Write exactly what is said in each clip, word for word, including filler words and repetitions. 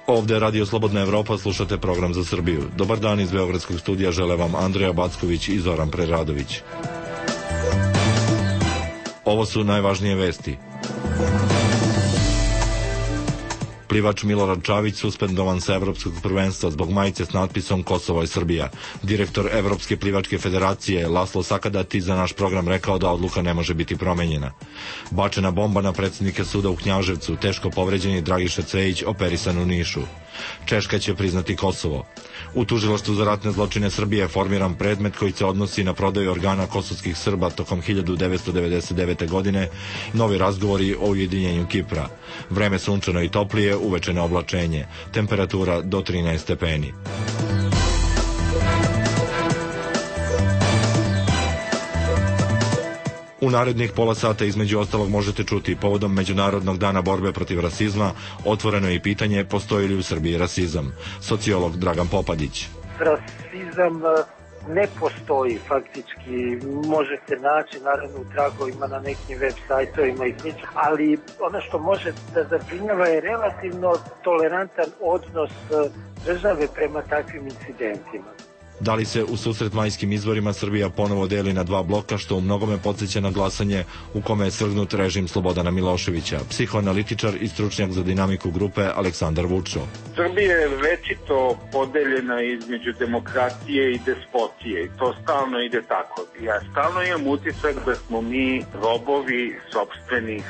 Ovde je Radio Slobodna Evropa, slušate program za Srbiju. Dobar dan iz Beogradskog studija, žele vam Andreja Backović i Zoran Preradović. Ovo su najvažnije vesti. Plivač Milorad Čavić suspendovan sa Evropskog prvenstva zbog majice s natpisom Kosovo je Srbija. Direktor Evropske plivačke federacije Laslo Sakadati za naš program rekao da odluka ne može biti promenjena. Bačena bomba na predsjednike suda u Knjaževcu, teško povređeni Dragiša Cvejić operisan u Nišu. Češka će priznati Kosovo. U tužilaštvu za ratne zločine Srbije je formiran predmet koji se odnosi na prodaju organa kosovskih Srba tokom hiljadu devetsto devedeset devete. godine, novi razgovori o ujedinjenju Kipra. Vreme sunčano i toplije, uvečeno oblačenje, temperatura do trinaest stepeni. U narednih pola sata između ostalog možete čuti povodom Međunarodnog dana borbe protiv rasizma, otvoreno je pitanje postoji li u Srbiji rasizam. Sociolog Dragan Popadić. Rasizam ne postoji faktički, možete naći naravno u tragovima na nekim web sajtovima i slično, ali ono što može da zabrinjava je relativno tolerantan odnos države prema takvim incidentima. Da li se u susret majskim izborima Srbija ponovo deli na dva bloka, što u mnogome podsjeća na glasanje u kome je svrgnut režim Slobodana Miloševića? Psihoanalitičar i stručnjak za dinamiku grupe Aleksandar Vučo. Srbija je večito podeljena između demokratije i despotije i to stalno ide tako. Ja stalno imam utisak da smo mi robovi sopstvenih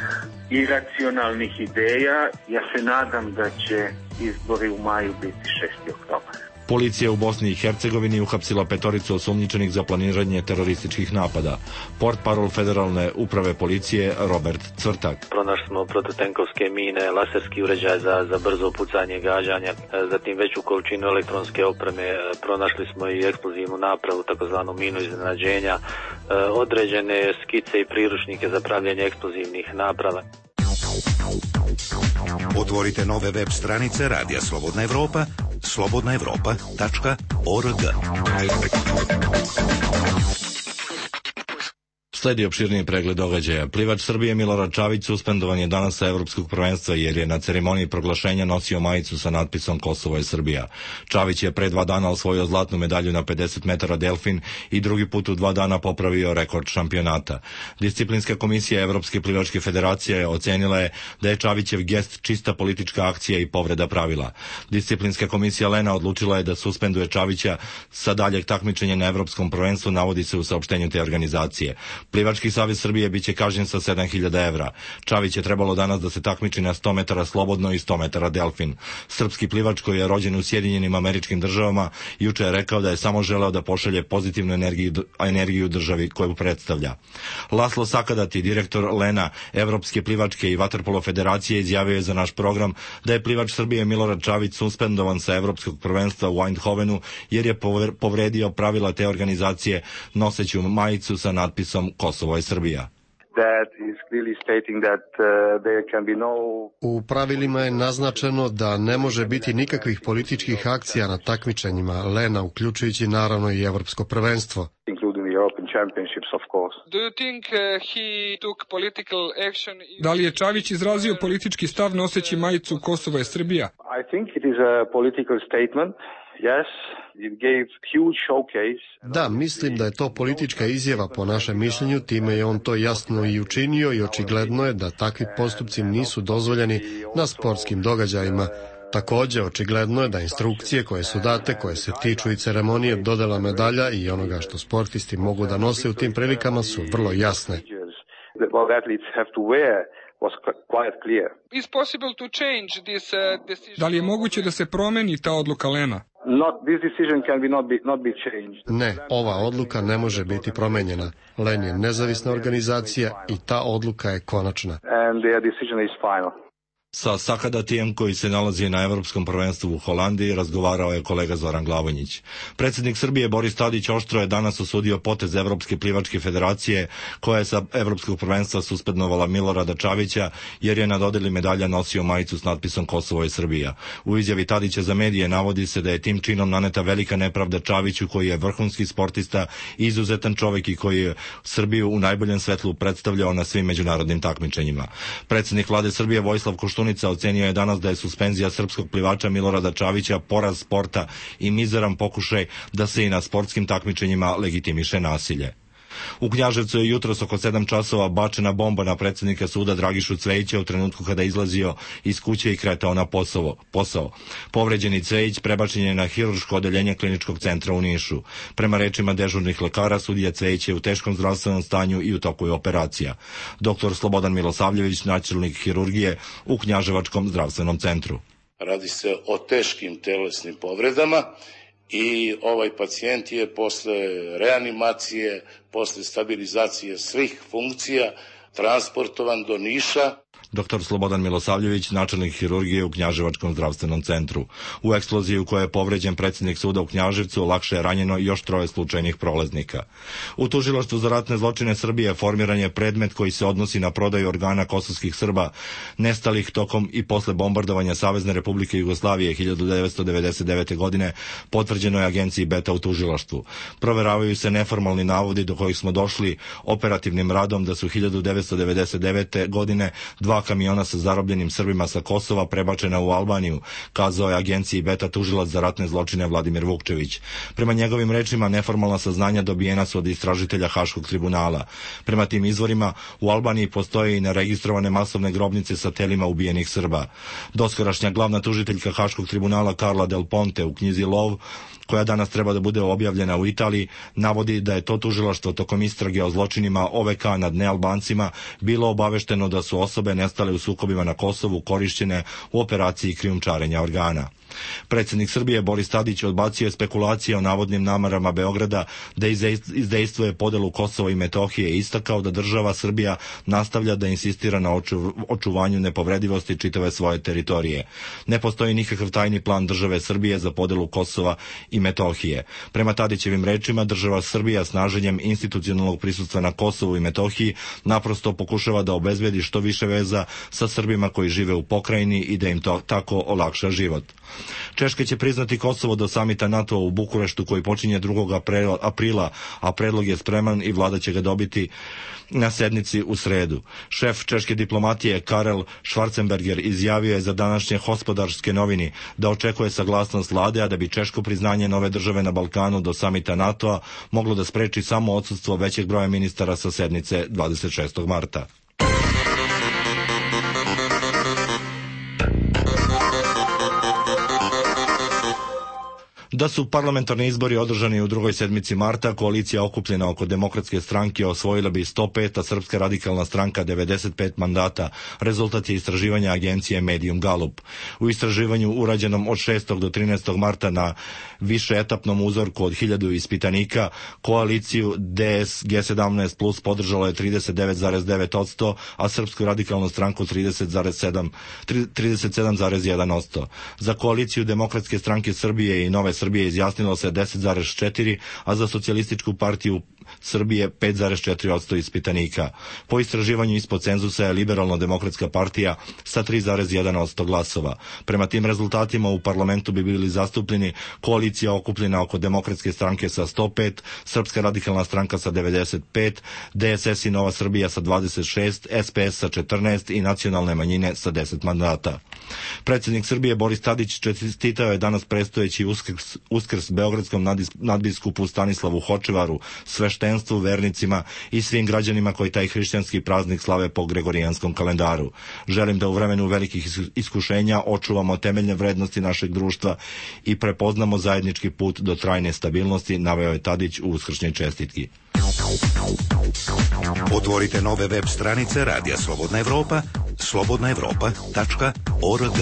iracionalnih ideja. Ja se nadam da će izbori u maju biti šesti oktobar. Policija u Bosni i Hercegovini uhapsila petoricu osumnjičenih za planiranje terorističkih napada. Portparol Federalne uprave policije Robert Cvrtak. Pronašli smo protutenkovske mine, laserski uređaj za, za brzo pucanje gađanja, zatim veću količinu elektronske opreme, pronašli smo i eksplozivnu napravu, takozvanu minu iznenađenja, određene skice i priručnike za pravljanje eksplozivnih naprava. Otvorite nove web stranice Radija Slobodna Evropa, slobodna evropa tačka org. Sledi opširniji pregled događaja. Plivač Srbije Milorad Čavić suspendovan je danas sa Evropskog prvenstva jer je na ceremoniji proglašenja nosio majicu sa natpisom Kosovo je Srbija. Čavić je pre dva dana osvojio zlatnu medalju na pedeset metara delfin i drugi put u dva dana popravio rekord šampionata. Disciplinska komisija Evropske plivačke federacije ocenila je da je Čavićev gest čista politička akcija i povreda pravila. Disciplinska komisija Lena odlučila je da suspenduje Čavića sa daljeg takmičenja na Evropskom prvenstvu, navodi se u saopštenju te organizacije. Plivački savez Srbije biće kažnjen sa sedam hiljada evra. Čavić je trebalo danas da se takmiči na sto metara slobodno i sto metara delfin. Srpski plivač koji je rođen u Sjedinjenim Američkim Državama juče je rekao da je samo želeo da pošalje pozitivnu energiju, energiju državi koju predstavlja. Laslo Sakadati, direktor Lena, Evropske plivačke i vaterpolo federacije, izjavio je za naš program da je plivač Srbije Milorad Čavić suspendovan sa Evropskog prvenstva u Eindhovenu jer je povredio pravila te organizacije noseću majicu sa natpisom Kosovo je Srbija. U pravilima je naznačeno da ne može biti nikakvih političkih akcija na takmičenjima Lena, uključujući naravno i Evropsko prvenstvo. Da li je Čavić izrazio politički stav noseći majicu Kosovo je Srbija? Da, mislim da je to politička izjava po našem mišljenju, time je on to jasno i učinio i očigledno je da takvi postupci nisu dozvoljeni na sportskim događajima. Također, očigledno je da instrukcije koje su date, koje se tiču i ceremonije dodela medalja i onoga što sportisti mogu da nose u tim prilikama su vrlo jasne. Da li je moguće da se promeni ta odluka Lena? Ne, ova odluka ne može biti promenjena. Len je nezavisna organizacija i ta odluka je konačna. Sa Sakadatijem, koji se nalazi na Evropskom prvenstvu u Holandiji, razgovarao je kolega Zoran Glavonjić. Predsjednik Srbije Boris Tadić oštro je danas osudio potez Evropske plivačke federacije koja je sa Evropskog prvenstva suspendovala Milorada Čavića jer je na dodeli medalja nosio majicu s natpisom Kosovo je Srbija. U izjavi Tadića za medije navodi se da je tim činom naneta velika nepravda Čaviću, koji je vrhunski sportista, izuzetan čovjek i koji je Srbiju u najboljem svetlu predstavljao na svim međunarodnim takmičenjima. Predsjednik vlade Srbije Vojislav Koštunica Koštunica ocenio je danas da je suspenzija srpskog plivača Milorada Čavića poraz sporta i mizeran pokušaj da se i na sportskim takmičenjima legitimiše nasilje. U Knjaževcu je jutros oko sedam časova bačena bomba na predsjednika suda Dragišu Cvejića u trenutku kada je izlazio iz kuće i kretao na posao. posao. Povređeni Cvejić prebačen je na hirurško odeljenje kliničkog centra u Nišu. Prema rečima dežurnih lekara, sudija Cvejić je u teškom zdravstvenom stanju i u toku je operacija. Doktor Slobodan Milosavljević, načelnik hirurgije u Knjaževačkom zdravstvenom centru. Radi se o teškim telesnim povredama i ovaj pacijent je posle reanimacije, posle stabilizacije svih funkcija transportovan do Niša. Doktor Slobodan Milosavljević, načelnik hirurgije u Knjaževačkom zdravstvenom centru. U eksploziji u kojoj je povređen predsjednik suda u Knjaževcu lakše je ranjeno još troje slučajnih prolaznika. U Tužilaštvu za ratne zločine Srbije formiran je predmet koji se odnosi na prodaju organa kosovskih Srba nestalih tokom i posle bombardovanja Savezne Republike Jugoslavije hiljadu devetsto devedeset devete. godine, potvrđeno je agenciji Beta u Tužilaštvu. Proveravaju se neformalni navodi do kojih smo došli operativnim radom da su hiljadu devetsto devedeset devete. godine dva kamiona sa zarobljenim Srbima sa Kosova prebačena u Albaniju, kazao je agenciji Beta tužilac za ratne zločine Vladimir Vukčević. Prema njegovim rečima, neformalna saznanja dobijena su od istražitelja Haškog tribunala. Prema tim izvorima, u Albaniji postoje i neregistrovane masovne grobnice sa telima ubijenih Srba. Doskorašnja glavna tužiteljka Haškog tribunala Karla Del Ponte u knjizi Lov, koja danas treba da bude objavljena u Italiji, navodi da je to tužilaštvo tokom istrage o zločinima O V K nad nealbancima bilo obavešteno da su osobe nestale u sukobima na Kosovu korišćene u operaciji krijumčarenja organa. Predsjednik Srbije Boris Tadić odbacio je spekulacije o navodnim namerama Beograda da izdejstvuje podelu Kosova i Metohije i istakao da država Srbija nastavlja da insistira na oču, očuvanju nepovredivosti čitave svoje teritorije. Ne postoji nikakav tajni plan države Srbije za podelu Kosova i Metohije. Prema Tadićevim rečima, država Srbija snaženjem institucionalnog prisustva na Kosovu i Metohiji naprosto pokušava da obezbedi što više veza sa Srbima koji žive u pokrajini i da im to tako olakša život. Češka će priznati Kosovo do samita NATO u Bukureštu koji počinje drugog aprila, a predlog je spreman i vlada će ga dobiti na sednici u sredu. Šef češke diplomatije Karel Schwarzenberger izjavio je za današnje Hospodarske novini da očekuje saglasnost vlade, a da bi češko priznanje nove države na Balkanu do samita NATO-a moglo da spreči samo odsustvo većeg broja ministara sa sednice dvadeset šestog marta. Da su parlamentarni izbori održani u drugoj sedmici marta, koalicija okupljena oko Demokratske stranke osvojila bi sto pet, a Srpska radikalna stranka devedeset pet mandata. Rezultat je istraživanja agencije Medium Gallup. U istraživanju urađenom od šestog do trinaestog marta na višeetapnom uzorku od hiljadu ispitanika, koaliciju D S G sedamnaest plus podržalo je trideset devet zarez devet posto, a Srpsku radikalnu stranku trideset sedam zarez jedan posto. Za koaliciju Demokratske stranke Srbije i Nove Srbije izjasnilo se deset zarez četiri, a za Socijalističku partiju Srbije pet zarez četiri posto ispitanika. Po istraživanju ispod cenzusa je Liberalno-demokratska partija sa tri zarez jedan posto glasova. Prema tim rezultatima u parlamentu bi bili zastupljeni koalicija okupljena oko Demokratske stranke sa sto pet, Srpska radikalna stranka sa devedeset pet, D S S i Nova Srbija sa dvadeset šest, S P S sa četrnaest i nacionalne manjine sa deset mandata. Predsjednik Srbije Boris Tadić čestitao je danas predstojeći uskrs, uskrs beogradskom nadbiskupu Stanislavu Hočevaru, sveštenstvu, vernicima i svim građanima koji taj hrišćanski praznik slave po gregorijanskom kalendaru. Želim da u vremenu velikih iskušenja očuvamo temeljne vrednosti našeg društva i prepoznamo zajednički put do trajne stabilnosti, naveo je Tadić u uskršnjoj čestitki. Otvorite nove web stranice Radija Slobodna Evropa, slobodna evropa tačka org.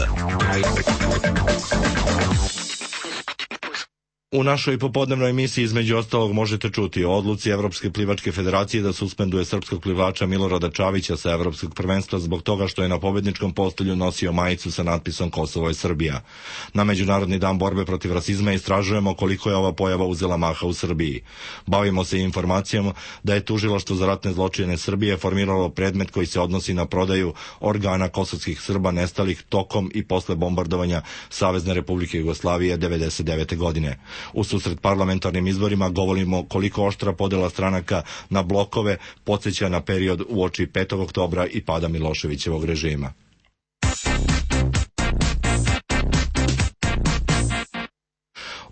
U našoj popodnevnoj emisiji između ostalog možete čuti o odluci Evropske plivačke federacije da suspenduje srpskog plivača Milorada Čavića sa Evropskog prvenstva zbog toga što je na pobedničkom postolju nosio majicu sa natpisom Kosovo je Srbija. Na Međunarodni dan borbe protiv rasizma istražujemo koliko je ova pojava uzela maha u Srbiji. Bavimo se informacijom da je Tužilaštvo za ratne zločine Srbije formiralo predmet koji se odnosi na prodaju organa kosovskih Srba nestalih tokom i posle bombardovanja Savezne Republike Jugoslavije devedeset devete. godine. U susret parlamentarnim izborima govorimo koliko oštra podela stranaka na blokove podsjeća na period uoči petog oktobra i pada Miloševićevog režima.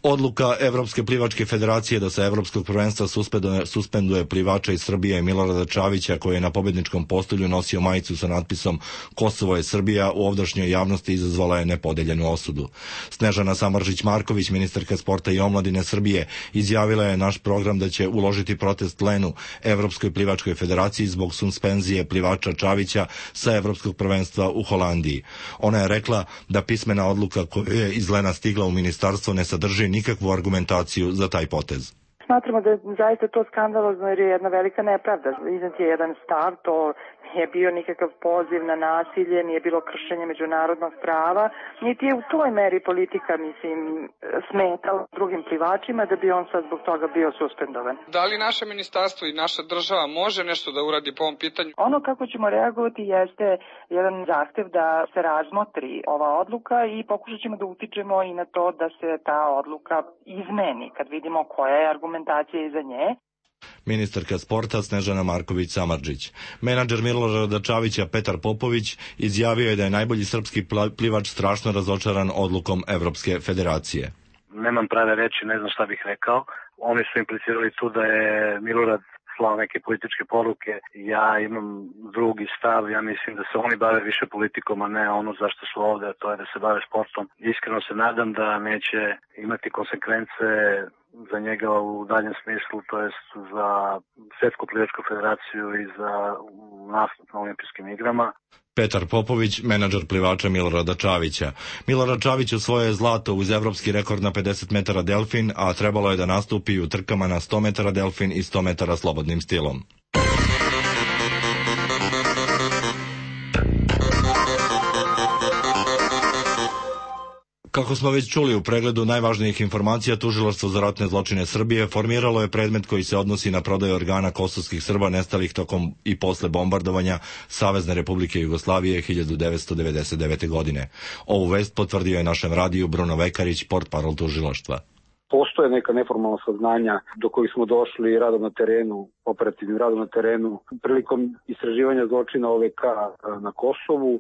Odluka Evropske plivačke federacije da sa Evropskog prvenstva suspenduje, suspenduje plivača iz Srbije Milorada Čavića, koji je na pobedničkom postolju nosio majicu sa natpisom Kosovo je Srbija, u ovdašnjoj javnosti izazvala je nepodeljenu osudu. Snežana Samardžić-Marković, ministarka sporta i omladine Srbije, izjavila je naš program da će uložiti protest Lenu Evropskoj plivačkoj federaciji zbog suspenzije plivača Čavića sa Evropskog prvenstva u Holandiji. Ona je rekla da pismena odluka koja je iz Lena stigla u ministarstvo ne sadrži nikakvu argumentaciju za taj potez. Smatramo da je zaista to skandalozno jer je jedna velika nepravda. Iznet je jedan stav, to nije bio nikakav poziv na nasilje, nije bilo kršenje međunarodnog prava, niti je u toj meri politika, mislim, smetala drugim plivačima da bi on sad zbog toga bio suspendovan. Da li naše ministarstvo i naša država može nešto da uradi po ovom pitanju? Ono kako ćemo reagovati jeste jedan zahtev da se razmotri ova odluka i pokušat ćemo da utičemo i na to da se ta odluka izmeni kad vidimo koja je argumentacija iza nje. Ministarka sporta Snežana Marković-Samardžić. Menadžer Milorada Čavića Petar Popović izjavio je da je najbolji srpski plivač strašno razočaran odlukom Evropske federacije. Nemam prave reči, ne znam šta bih rekao. Oni su implicirali tu da je Milorad slao neke političke poruke. Ja imam drugi stav, ja mislim da se oni bave više politikom, a ne ono zašto su ovde, a to je da se bave sportom. Iskreno se nadam da neće imati konsekvence za njega u daljem smislu, to jest za Svetsku plivačku federaciju i za nastup na olimpijskim igrama. Petar Popović, menadžer plivača Milorada Čavića. Milorad Čavić osvojio je zlato uz evropski rekord na pedeset metara delfin, a trebalo je da nastupi u trkama na sto metara delfin i sto metara slobodnim stilom. Kako smo već čuli u pregledu najvažnijih informacija, Tužilaštvo za ratne zločine Srbije formiralo je predmet koji se odnosi na prodaju organa kosovskih Srba nestalih tokom i posle bombardovanja Savezne Republike Jugoslavije hiljadu devetsto devedeset devete. godine. Ovu vest potvrdio je našem radiju Bruno Vekarić, portparol Tužilaštva. Postoje neka neformalna saznanja do kojih smo došli radom na terenu, operativnim radom na terenu, prilikom istraživanja zločina O V K na Kosovu.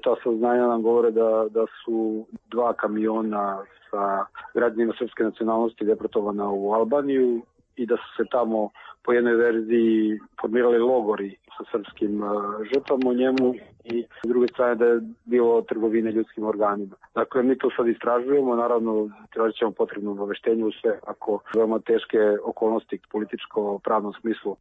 Ta saznanja nam govore da, da su dva kamiona sa građanima srpske nacionalnosti deportovana u Albaniju i da su se tamo po jednoj verziji formirali logori sa srpskim uh, žrtvama u njemu i s druge strane da je bilo trgovine ljudskim organima. Dakle, mi to sad istražujemo, naravno tražit ćemo potrebno obaveštenje u sve ako veoma teške okolnosti političko-pravnom smislu.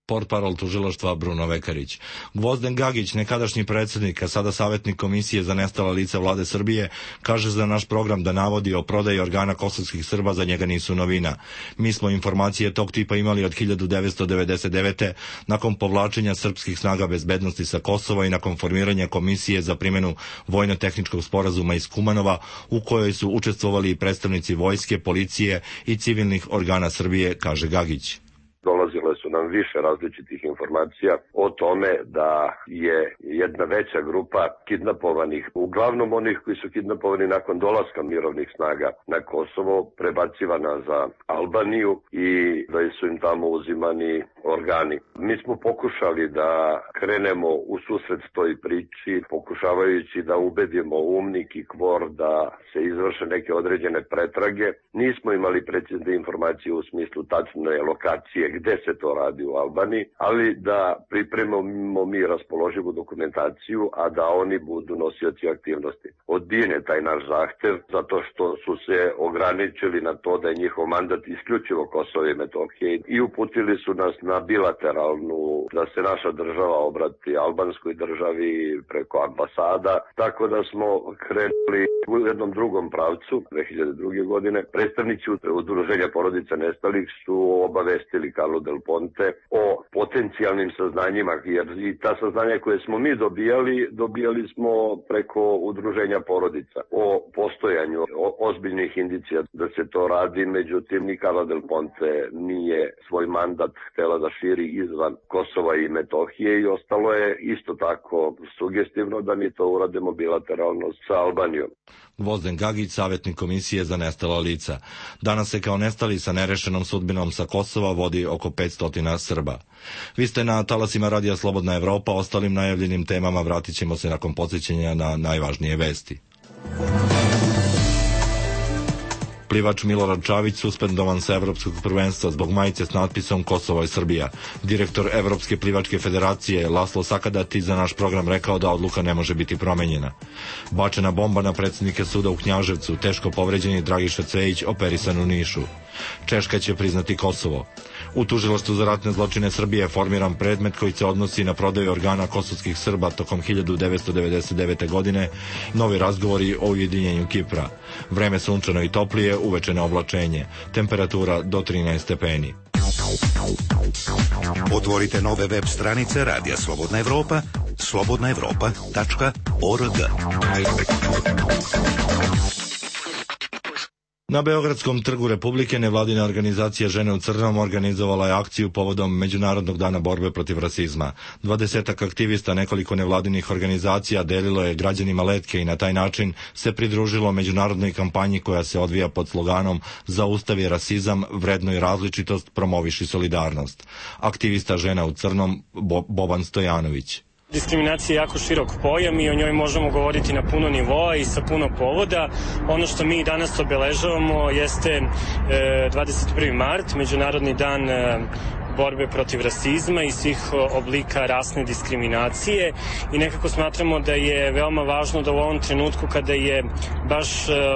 Portparol Tužilaštva Bruno Vekarić. Gvozden Gagić, nekadašnji predsjednik, a sada savjetnik Komisije za nestala lica vlade Srbije, kaže za naš program da navodi o prodaji organa kosovskih Srba za njega nisu novina. Mi smo informacije tog tipa imali od hiljadu devetsto devedeset devete. nakon povlačenja srpskih snaga bezbednosti sa Kosova i nakon formiranja Komisije za primjenu vojno-tehničkog sporazuma iz Kumanova, u kojoj su učestvovali i predstavnici vojske, policije i civilnih organa Srbije, kaže Gagić. Dolazile su nam više različitih informacija o tome da je jedna veća grupa kidnapovanih, uglavnom onih koji su kidnapovani nakon dolaska mirovnih snaga na Kosovo, prebacivana za Albaniju i da su im tamo uzimani organi. Mi smo pokušali da krenemo u susret toj priči, pokušavajući da ubedimo UMNIK i KFOR da se izvrše neke određene pretrage. Nismo imali precizne informacije u smislu tačne lokacije gde se to radi u Albaniji, ali da pripremimo mi raspoloživu dokumentaciju, a da oni budu nosioci aktivnosti. Odbijen je taj naš zahtev zato što su se ograničili na to da je njihov mandat isključivo Kosovo i Metohije i uputili su nas na bilateralnu, da se naša država obrati albanskoj državi preko ambasada, tako da smo krenuli u jednom drugom pravcu dve hiljade druge. godine. Predstavnici udruženja porodica nestalih su obavestili Carlo Del Ponte o potencijalnim saznanjima, jer i ta saznanja koje smo mi dobijali, dobijali smo preko udruženja porodica o postojanju o ozbiljnih indicija da se to radi, međutim ni Carlo Del Ponte nije svoj mandat htela da širi izvan Kosova i Metohije i ostalo je isto tako sugestivno da mi to uradimo bilateralno sa Albanijom. Gvozden Gagić, savjetnik Komisije za nestala lica. Danas se kao nestali sa nerešenom sudbinom sa Kosova vodi oko petsto Srba. Vi ste na talasima Radija Slobodna Evropa, ostalim najavljenim temama vratit ćemo se nakon podsjećanja na najvažnije vesti. Plivač Milorad Čavić suspendovan sa evropskog prvenstva zbog majice s natpisom Kosovo je Srbija. Direktor Evropske plivačke federacije Laslo Sakadati za naš program rekao da odluka ne može biti promenjena. Bačena bomba na predsjednike suda u Knjaževcu, teško povređeni Dragiša Cvejić operisan u Nišu. Češka će priznati Kosovo. U tužilaštvu za ratne zločine Srbije je formiran predmet koji se odnosi na prodaju organa kosovskih Srba tokom hiljadu devetsto devedeset devete. godine, novi razgovori o ujedinjenju Kipra. Vreme sunčano i toplije, uvečeno oblačenje. Temperatura do trinaest stepeni. Otvorite nove web stranice Radija Slobodna Evropa, slobodna evropa tačka org. Na Beogradskom trgu Republike nevladina organizacija Žene u crnom organizovala je akciju povodom Međunarodnog dana borbe protiv rasizma. Dvadesetak aktivista nekoliko nevladinih organizacija delilo je građanima letke i na taj način se pridružilo međunarodnoj kampanji koja se odvija pod sloganom Zaustavi rasizam, vrednoj različitost, promoviši solidarnost. Aktivista Žena u crnom Bo- Boban Stojanović. Diskriminacija je jako širok pojam i o njoj možemo govoriti na puno nivoa i sa puno povoda. Ono što mi danas obeležavamo jeste dvadeset prvi mart, Međunarodni dan borbe protiv rasizma i svih oblika rasne diskriminacije i nekako smatramo da je veoma važno da u ovom trenutku kada je baš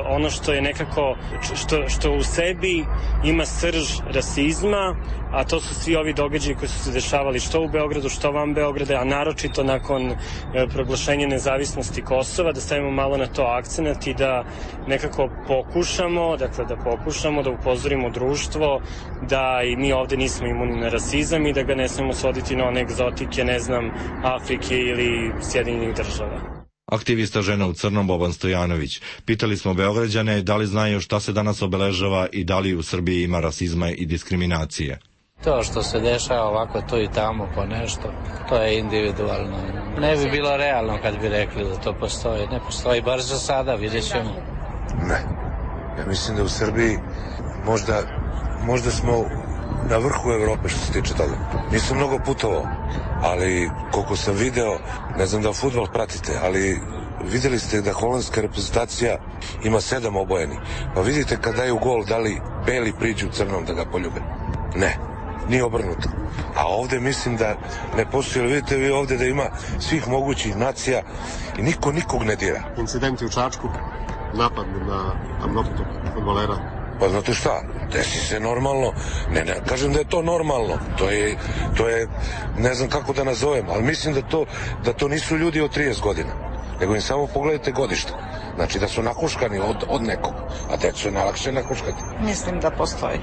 ono što je nekako što, što u sebi ima srž rasizma, a to su svi ovi događaji koji su se dešavali što u Beogradu, što van Beograda, a naročito nakon e, proglašenja nezavisnosti Kosova, da stavimo malo na to akcenat i da nekako pokušamo, dakle da pokušamo da upozorimo društvo da i mi ovde nismo imuni na rasizam i da ga ne smemo svoditi na one egzotike, ne znam, Afrike ili Sjedinjenih država. Aktivista Žena u crnom Boban Stojanović. Pitali smo Beograđane da li znaju šta se danas obeležava i da li u Srbiji ima rasizma i diskriminacije. To što se dešava ovako tu i tamo po nešto, to je individualno. Ne bi bilo realno kad bi rekli da to postoji. Ne postoji, bar za sada, vidjet ćemo. Ne. Ja mislim da u Srbiji možda, možda smo na vrhu Evrope što se tiče toga. Nisam mnogo putovao, ali koliko sam video, ne znam da fudbal pratite, ali videli ste da holandska reprezentacija ima sedam obojeni. Pa vidite kad daju gol, da li beli priđu crnom da ga poljube? Ne. Nije obrnuto. A ovde mislim da ne postoji, vidite vi ovde da ima svih mogućih nacija i niko nikog ne dira. Incidenti u Čačku, napad na mnogog fudbalera. Pa znate šta, desi se normalno, ne, ne kažem da je to normalno, to je, to je, ne znam kako da nazovem, ali mislim da to, da to nisu ljudi od trideset godina, nego im samo pogledajte godište. Znači da su nahuškani od, od nekog, a decu je najlakše nahuškati. Mislim da postoji.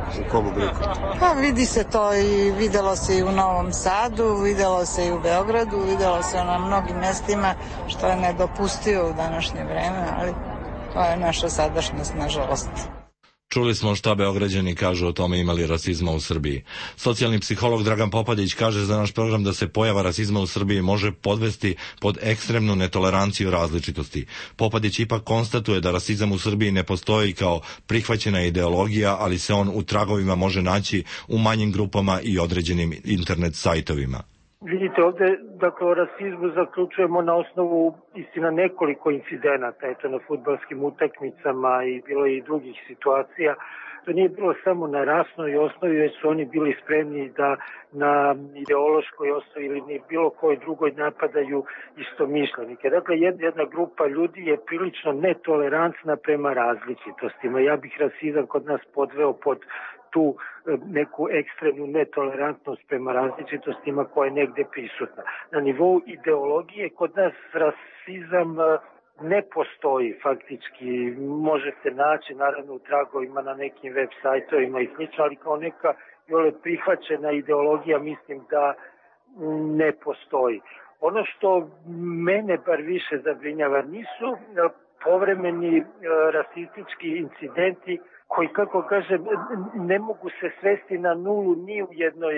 U kom obliku? Pa vidi se to i videlo se i u Novom Sadu, videlo se i u Beogradu, videlo se na mnogim mestima, što je nedopustivo u današnje vreme, ali to je naša sadašnjost, nažalost. Čuli smo šta Beograđani kažu o tome ima li rasizma u Srbiji. Socijalni psiholog Dragan Popadić kaže za naš program da se pojava rasizma u Srbiji može podvesti pod ekstremnu netoleranciju različitosti. Popadić ipak konstatuje da rasizam u Srbiji ne postoji kao prihvaćena ideologija, ali se on u tragovima može naći u manjim grupama i određenim internet sajtovima. Vidite, ovde, dakle, o rasizmu zaključujemo na osnovu istina nekoliko incidenata, eto, na fudbalskim utakmicama i bilo je i drugih situacija. To nije bilo samo na rasnoj osnovi, već su oni bili spremni da na ideološkoj osnovi ili ni bilo kojoj drugoj napadaju istomišljenike. Dakle, jedna grupa ljudi je prilično netolerantna prema različitostima. Ja bih rasizam kod nas podveo pod tu neku ekstremnu netolerantnost prema različitostima koja je negde prisutna. Na nivou ideologije kod nas rasizam ne postoji faktički. Možete naći naravno u tragovima na nekim web sajtovima i slično, ali kao neka jole prihvaćena ideologija mislim da ne postoji. Ono što mene bar više zabrinjava nisu povremeni rasistički incidenti koji, kako kažem, ne mogu se svesti na nulu ni u, jednoj,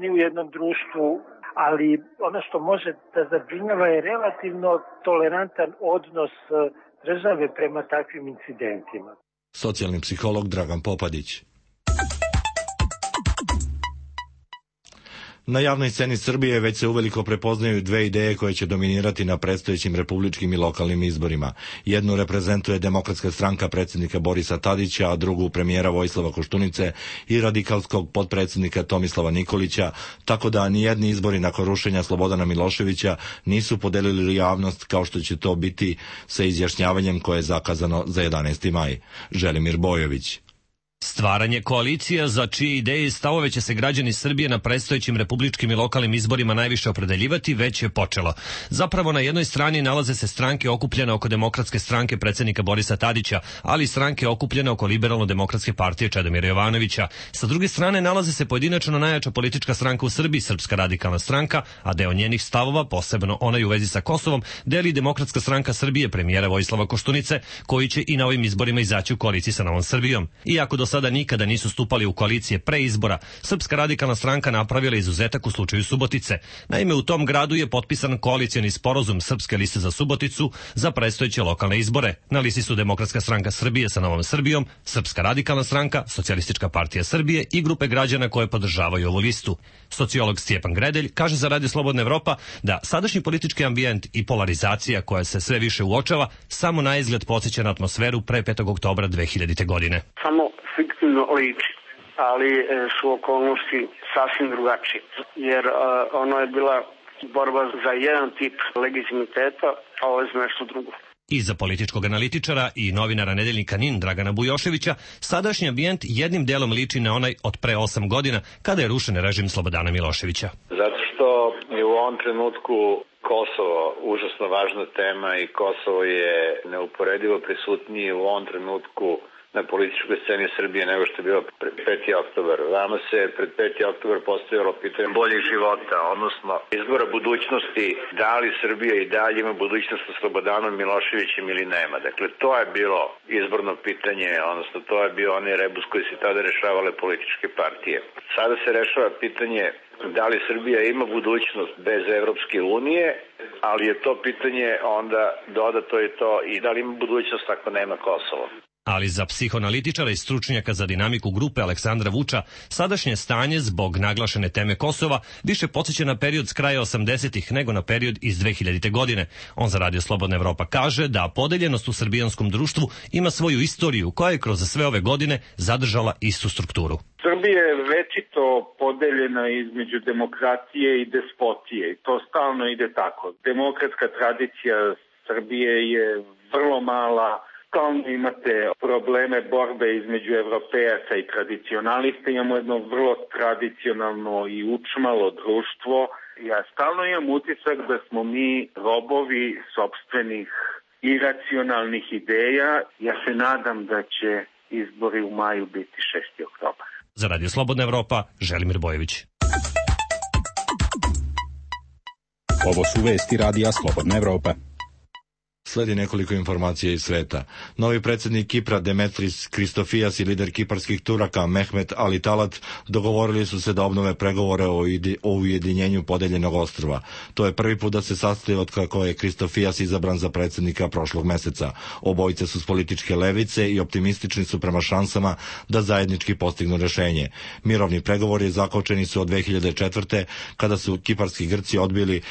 ni u jednom društvu, ali ono što može da zabrinjava je relativno tolerantan odnos države prema takvim incidentima. Socijalni psiholog Dragan Popadić. Na javnoj sceni Srbije već se uveliko prepoznaju dve ideje koje će dominirati na predstojećim republičkim i lokalnim izborima. Jednu reprezentuje Demokratska stranka predsjednika Borisa Tadića, a drugu premijera Vojislava Koštunice i radikalskog potpredsjednika Tomislava Nikolića, tako da nijedni izbori nakon rušenja Slobodana Miloševića nisu podelili javnost kao što će to biti sa izjašnjavanjem koje je zakazano za jedanaesti maj. Želimir Bojović. Stvaranje koalicija za čije ideje i stavove će se građani Srbije na predstojećim republičkim i lokalnim izborima najviše opredeljivati već je počelo. Zapravo na jednoj strani nalaze se stranke okupljene oko Demokratske stranke predsjednika Borisa Tadića, ali i stranke okupljene oko Liberalno-demokratske partije Čedomira Jovanovića. Sa druge strane nalaze se pojedinačno najjača politička stranka u Srbiji, Srpska radikalna stranka, a deo njenih stavova, posebno onaj u vezi sa Kosovom, deli Demokratska stranka Srbije premijera Vojislava Koštunice, koji će i na ovim izborima izaći u koaliciji sa Novom Srbijom. Iako do sada nikada nisu stupali u koalicije pre izbora, Srpska radikalna stranka napravila izuzetak u slučaju Subotice. Naime, u tom gradu je potpisan koalicioni sporazum Srpske liste za Suboticu za predstojeće lokalne izbore. Na listi su Demokratska stranka Srbije sa Novom Srbijom, Srpska radikalna stranka, Socijalistička partija Srbije i grupe građana koje podržavaju ovu listu. Sociolog Stjepan Gredelj kaže za Radio Slobodna Evropa da sadašnji politički ambijent i polarizacija koja se sve više uočava samo na izgled podsjeća na atmosferu pre petog oktobra dve hiljadite. godine. Samo fiktivno liči, ali su okolnosti sasvim drugačije, jer uh, ono je bila borba za jedan tip legitimiteta, a ovo je za nešto drugo. I za političkog analitičara i novinara nedeljnika N I N Dragana Bujoševića, sadašnji ambijent jednim delom liči na onaj od pre osam godina, kada je rušen režim Slobodana Miloševića. Zato što je u ovom trenutku Kosovo užasno važna tema i Kosovo je neuporedivo prisutniji u ovom trenutku na političkoj sceni Srbije nego što je bilo pred peti oktobar. Vama se pred peti oktobar postavilo pitanje boljeg života, odnosno izbora budućnosti, da li Srbija i dalje ima budućnost sa Slobodanom Miloševićem ili nema. Dakle, to je bilo izborno pitanje, odnosno to je bio onaj rebus koji se tada rešavale političke partije. Sada se rešava pitanje da li Srbija ima budućnost bez Evropske unije, ali je to pitanje onda dodato je to i da li ima budućnost ako nema Kosovo. Ali za psihoanalitičara i stručnjaka za dinamiku grupe Aleksandra Vuča, sadašnje stanje zbog naglašene teme Kosova više podsjeća na period s kraja osamdesetih nego na period iz dve hiljadite. godine. On za Radio Slobodna Evropa kaže da podeljenost u srbijanskom društvu ima svoju istoriju koja je kroz sve ove godine zadržala istu strukturu. Srbija je večito podeljena između demokratije i despotije i to stalno ide tako. Demokratska tradicija Srbije je vrlo mala. Stalno imate probleme borbe između evropejaca i tradicionalista. Imamo jedno vrlo tradicionalno i učmalo društvo. Ja stalno imam utisak da smo mi robovi sopstvenih iracionalnih ideja. Ja se nadam da će izbori u maju biti šesti oktobar. Za Radio Slobodna Evropa, Želimir Bojović. Ovo su vesti Radija Slobodna Evropa. Sledi nekoliko informacija iz sveta. Novi predsjednik Kipra Demetris Kristofijas i lider kiparskih Turaka Mehmet Ali Talat dogovorili su se da obnove pregovore o, o ujedinjenju podeljenog ostrva. To je prvi put da se sastaju od kako je Kristofijas izabran za predsjednika prošlog meseca. Obojice su s političke levice i optimistični su prema šansama da zajednički postignu rešenje. Mirovni pregovori zakočeni su od dve hiljade četvrte. kada su kiparski Grci odbili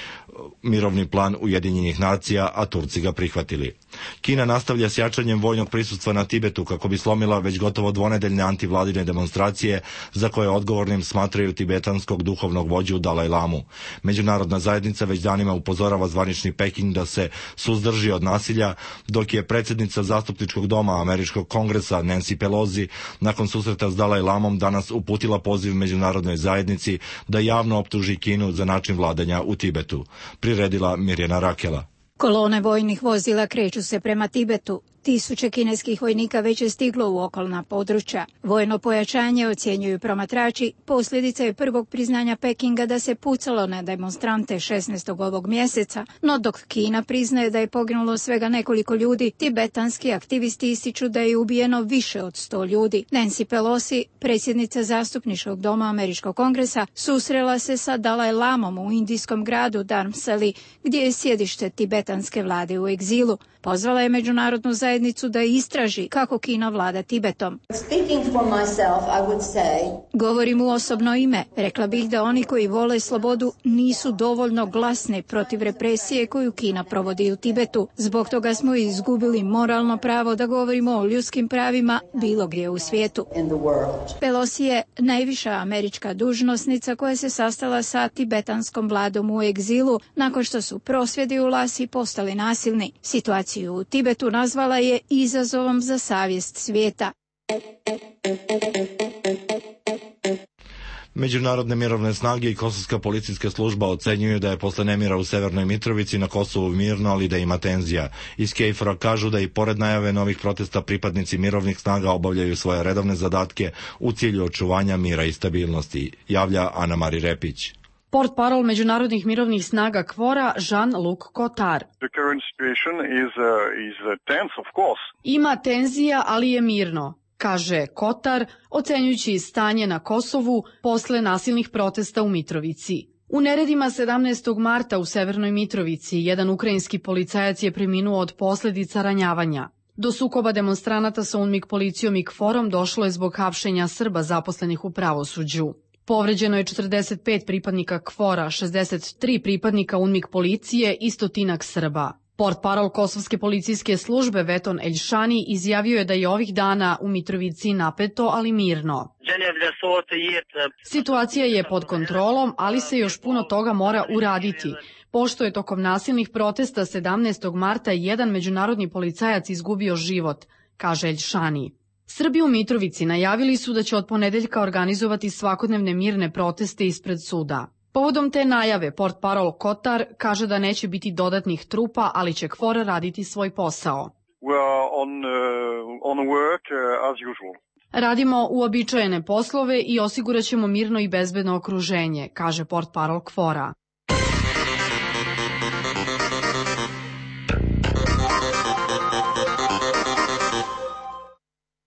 mirovni plan Ujedinjenih nacija, a Turci ga prihvatili. Kina nastavlja s jačanjem vojnog prisustva na Tibetu kako bi slomila već gotovo dvonedeljne antivladine demonstracije za koje odgovornim smatraju tibetanskog duhovnog vođu Dalaj Lamu. Međunarodna zajednica već danima upozorava zvanični Peking da se suzdrži od nasilja, dok je predsjednica zastupničkog doma Američkog kongresa Nancy Pelosi nakon susreta s Dalaj Lamom danas uputila poziv međunarodnoj zajednici da javno optuži Kinu za način vladanja u Tibetu. Priredila Mirjana Rakela. Kolone vojnih vozila kreću se prema Tibetu. Tisuće kineskih vojnika već je stiglo u okolna područja. Vojno pojačanje, ocjenjuju promatrači, posljedica je prvog priznanja Pekinga da se pucalo na demonstrante šesnaestog ovog mjeseca, no dok Kina priznaje da je poginulo svega nekoliko ljudi, tibetanski aktivisti ističu da je ubijeno više od sto ljudi. Nancy Pelosi, predsjednica zastupničkog doma Američkog kongresa, susrela se sa Dalaj Lamom u indijskom gradu Dharamsali, gdje je sjedište tibetanske vlade u egzilu. Pozvala je međunarodnu zajednicu zajednicu da istraži kako Kina vlada Tibetom. Myself, say... Govorim u osobno ime. Rekla bih da oni koji vole slobodu nisu dovoljno glasni protiv represije koju Kina provodi u Tibetu. Zbog toga smo izgubili moralno pravo da govorimo o ljudskim pravima bilo gdje u svijetu. Pelosi je najviša američka dužnosnica koja se sastala sa tibetanskom vladom u egzilu nakon što su prosvjedi u Lasi postali nasilni. Situaciju u Tibetu nazvala je izazovom za savjest svijeta. Međunarodne mirovne snage i kosovska policijska služba ocenjuju da je posle nemira u Severnoj Mitrovici na Kosovu mirno, ali da ima tenzija. Iz Kejfora kažu da i pored najave novih protesta pripadnici mirovnih snaga obavljaju svoje redovne zadatke u cilju očuvanja mira i stabilnosti, javlja Ana Mari Repić. Portparol međunarodnih mirovnih snaga Kvora Jean-Luc Cotard. Ima tenzija, ali je mirno, kaže Kotar, ocenjujući stanje na Kosovu posle nasilnih protesta u Mitrovici. U neredima sedamnaestog marta u Severnoj Mitrovici jedan ukrajinski policajac je preminuo od posljedica ranjavanja. Do sukoba demonstranata sa UNMIK policijom i Kforom došlo je zbog hapšenja Srba zaposlenih u pravosuđu. Povređeno je četrdeset pet pripadnika Kvora, šezdeset tri pripadnika UNMIK policije i stotinak Srba. Portparol kosovske policijske službe Veton Eljšani izjavio je da je ovih dana u Mitrovici napeto, ali mirno. Situacija je pod kontrolom, ali se još puno toga mora uraditi, pošto je tokom nasilnih protesta sedamnaestog marta jedan međunarodni policajac izgubio život, kaže Eljšani. Srbi u Mitrovici najavili su da će od ponedeljka organizovati svakodnevne mirne proteste ispred suda. Povodom te najave, portparol Kotar kaže da neće biti dodatnih trupa, ali će Kfor raditi svoj posao. Radimo uobičajene poslove i osigurat ćemo mirno i bezbedno okruženje, kaže portparol Kvora.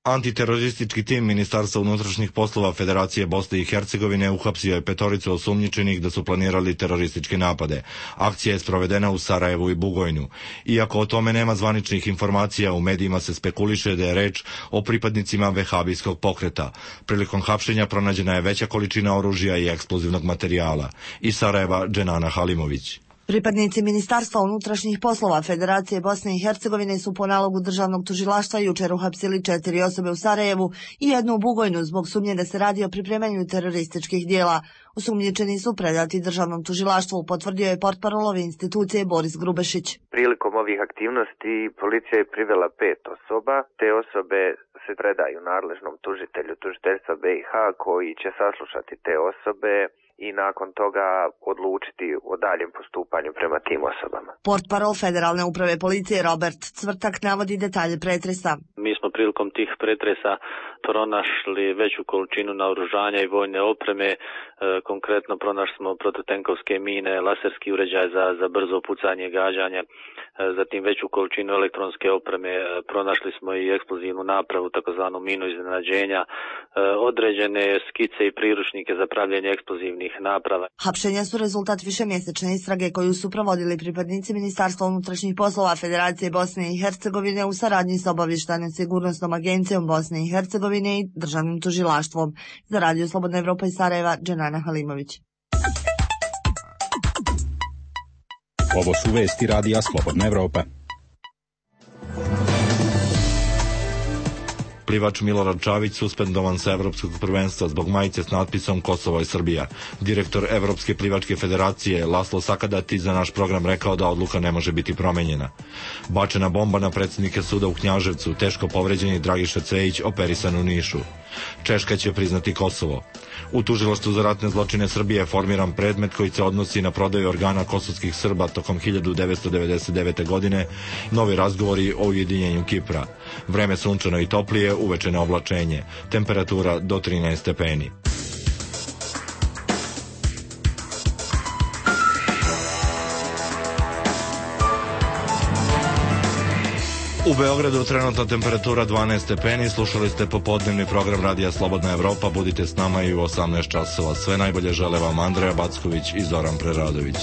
Antiteroristički tim Ministarstva unutrašnjih poslova Federacije Bosne i Hercegovine uhapsio je petoricu osumnjičenih da su planirali terorističke napade. Akcija je sprovedena u Sarajevu i Bugojnu. Iako o tome nema zvaničnih informacija, u medijima se spekuliše da je reč o pripadnicima vehabijskog pokreta. Prilikom hapšenja pronađena je veća količina oružja i eksplozivnog materijala. Iz Sarajeva, Dženana Halimović. Pripadnici Ministarstva unutrašnjih poslova Federacije Bosne i Hercegovine su po nalogu državnog tužilaštva jučer uhapsili četiri osobe u Sarajevu i jednu u Bugojnu zbog sumnje da se radi o pripremanju terorističkih dijela. Osumnjičeni su predati državnom tužilaštvu, potvrdio je portparol ove institucije Boris Grubešić. Prilikom ovih aktivnosti policija je privela pet osoba. Te osobe se predaju nadležnom tužitelju tužiteljstva B i H koji će saslušati te osobe i nakon toga odlučiti o daljem postupanju prema tim osobama. Portparol Federalne uprave policije Robert Cvrtak navodi detalje pretresa. Mi smo prilikom tih pretresa pronašli veću količinu naoružanja i vojne opreme. E, konkretno pronašli smo prototenkovske mine, laserski uređaj za, za brzo pucanje i gađanje, e, zatim veću količinu elektronske opreme, e, pronašli smo i eksplozivnu napravu, takozvanu minu iznenađenja, e, određene skice i priručnike za pravljenje eksplozivnih naprava. Hapšenja su rezultat višemjesečne istrage koju su provodili pripadnici Ministarstva unutrašnjih poslova Federacije Bosne i Hercegovine u saradnji sa obavještajnom sigurnosnom agencijom Bosne i Hercegovine i državnim tužilaštvom. Za Radio Slobodna Evropa iz Sarajeva, Dženana Halimović. Ovo su vesti Radija Slobodna Evropa. Plivač Milorad Čavić suspendovan sa Evropskog prvenstva zbog majice s natpisom Kosovo je Srbija. Direktor Evropske plivačke federacije Laslo Sakadati za naš program rekao da odluka ne može biti promenjena. Bačena bomba na predsjednike suda u Knjaževcu, teško povređeni Dragiša Cvejić operisan u Nišu. Češka će priznati Kosovo. U tužilaštvu za ratne zločine Srbije je formiran predmet koji se odnosi na prodaju organa kosovskih Srba tokom hiljadu devetsto devedeset devete. godine, novi razgovori o ujedinjenju Kipra. Vreme sunčano i toplije, uveče na oblačenje. Temperatura do trinaest stepeni. U Beogradu trenutna temperatura dvanaest stepeni, slušali ste popodnevni program Radija Slobodna Evropa, budite s nama i u osamnaest časova. Sve najbolje žele vam Andreja Backović i Zoran Preradović.